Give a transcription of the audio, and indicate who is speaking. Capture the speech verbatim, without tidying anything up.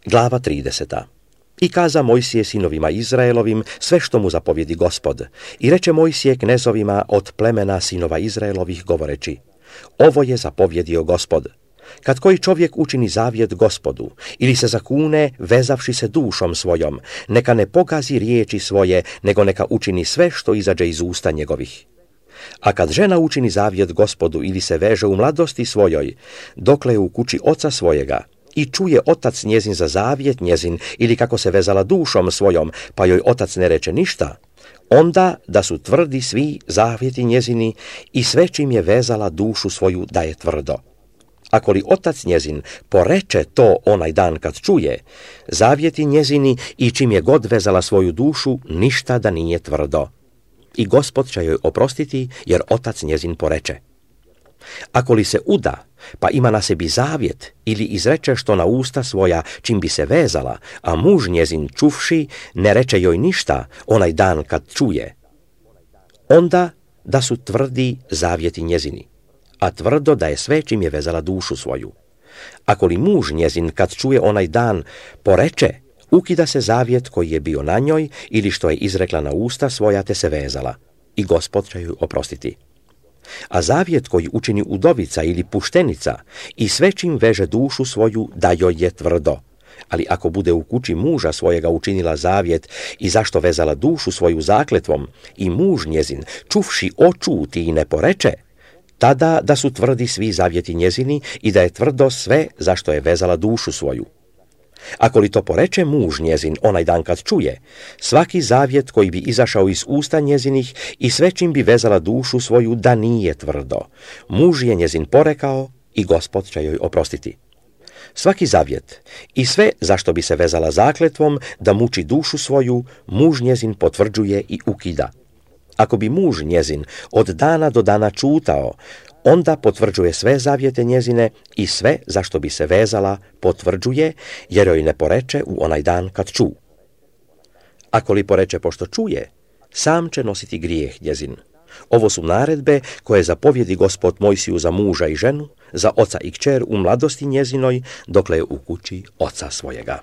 Speaker 1: Glava trideseta. I kaza Mojsije sinovima Izraelovim sve što mu zapovjedi Gospod. I reče Mojsije knezovima od plemena sinova Izraelovih govoreći: ovo je zapovjedio Gospod. Kad koji čovjek učini zavjet Gospodu ili se zakune vezavši se dušom svojom, neka ne pogazi riječi svoje, nego neka učini sve što izađe iz usta njegovih. A kad žena učini zavjet Gospodu ili se veže u mladosti svojoj, dokle je u kući oca svojega, i čuje otac njezin za zavjet njezin ili kako se vezala dušom svojom, pa joj otac ne reče ništa, onda da su tvrdi svi zavjeti njezini i sve čim je vezala dušu svoju da je tvrdo. Ako li otac njezin poreče to onaj dan kad čuje, zavjeti njezini i čim je god vezala svoju dušu, ništa da nije tvrdo. I Gospod će joj oprostiti, jer otac njezin poreče. Ako li se uda, pa ima na sebi zavjet ili izreče što na usta svoja čim bi se vezala, a muž njezin čuvši ne reče joj ništa onaj dan kad čuje, onda da su tvrdi zavjeti njezini, a tvrdo da je sve čim je vezala dušu svoju. Ako li muž njezin kad čuje onaj dan poreče, ukida se zavjet koji je bio na njoj ili što je izrekla na usta svoja te se vezala, i Gospod će joj oprostiti. A zavjet koji učini udovica ili puštenica i sve čim veže dušu svoju da joj je tvrdo. Ali ako bude u kući muža svojega učinila zavjet i zašto vezala dušu svoju zakletvom i muž njezin čuvši očuti i ne poreče, tada da su tvrdi svi zavjeti njezini i da je tvrdo sve zašto je vezala dušu svoju. Ako li to poreče muž njezin onaj dan kad čuje, svaki zavjet koji bi izašao iz usta njezinih i sve čim bi vezala dušu svoju da nije tvrdo, muž je njezin porekao i Gospod će joj oprostiti. Svaki zavjet i sve zašto bi se vezala zakletvom da muči dušu svoju, muž njezin potvrđuje i ukida. Ako bi muž njezin od dana do dana čutao, onda potvrđuje sve zavjete njezine i sve zašto bi se vezala potvrđuje, jer joj ne poreče u onaj dan kad ču. Ako li poreče pošto čuje, sam će nositi grijeh njezin. Ovo su naredbe koje zapovjedi Gospod Mojsiju za muža i ženu, za oca i kćer u mladosti njezinoj, dokle je u kući oca svojega.